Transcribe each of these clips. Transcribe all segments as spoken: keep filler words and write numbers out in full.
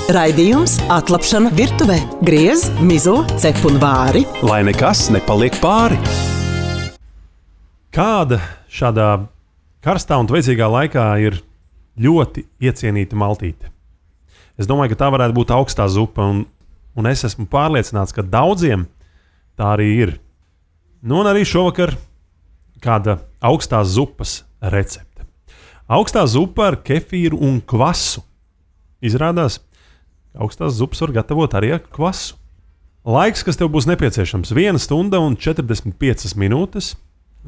Raidījums Atlapšana virtuvē. Griez, mizo, cep un vāri. Lai nekas nepaliek pāri. Kāda šādā karstā un vajadzīgā laikā ir ļoti iecienīta maltīte? Es domāju, ka tā varētu būt augstā zupa, un, un es esmu pārliecināts, ka daudziem tā arī ir. Nu, un arī šovakar kāda augstās zupas recepte. Augstā zupa ar kefīru un kvasu. Izrādās, ka augstās zupas var gatavot arī ar kvasu. Laiks, kas tev būs nepieciešams, viena stunda un četrdesmit piecas minūtes.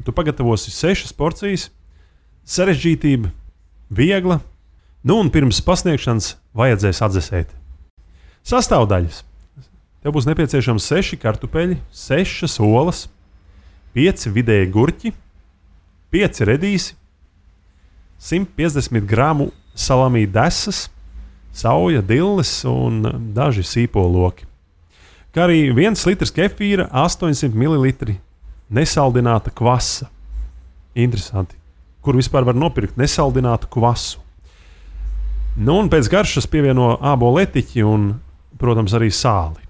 Tu pagatavosi sešas porcijas, sarežģītība, viegla, nu un pirms pasniegšanas vajadzēs atdzesēt. Sastāvdaļas. Tev būs nepieciešams seši kartupeļi, sešas olas, pieci vidēji gurķi, pieci redīsi, simt piecdesmit gramu salamī desas, sauja, dilles un daži sīpoloki. Kā arī viens litrs kefīra, astoņsimt mililitri nesaldināta kvasa. Interesanti. Kur vispār var nopirkt nesaldinātu kvasu? Nu un pēc garšas pievieno ābolu etiķi un, protams, arī sāli.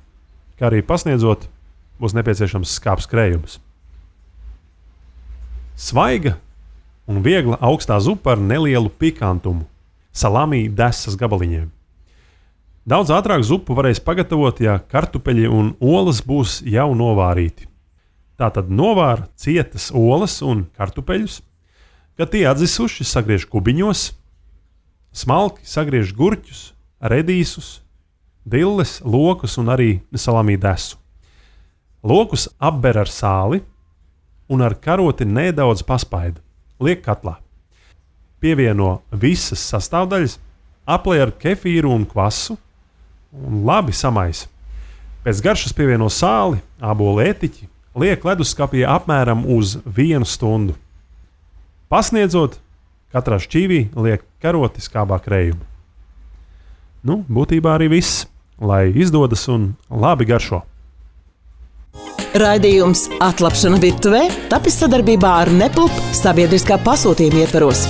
Kā arī pasniedzot, būs nepieciešams skāps krējums. Svaiga un viegla augstā zupa ar nelielu pikantumu. Salamī desas gabaliņiem. Daudz ātrāk zupu varēs pagatavot, ja kartupeļi un olas būs jau novārīti. Tātad novāra cietas olas un kartupeļus, kad tie atzisuši, sagriež kubiņos, smalki sagriež gurķus, redīsus, dilles, lokus un arī salamī desu. Lokus apber ar sāli un ar karoti nedaudz paspaida. Liek katlā. Pievieno visas sastāvdaļas, aplej ar kefīru un kvasu un labi samaisa. Pēc garšas pievieno sāli, ābolu etiķi, liek leduskapī apmēram uz vienu stundu. Pasniedzot, katrā šķīvī liek karoti skābā krējumu. Nu, būtībā arī viss, lai izdodas un labi garšo. Raidījums Atlapšana virtuvē tapis sadarbībā ar Nepulp sabiedriskā pasūtījuma ietvaros.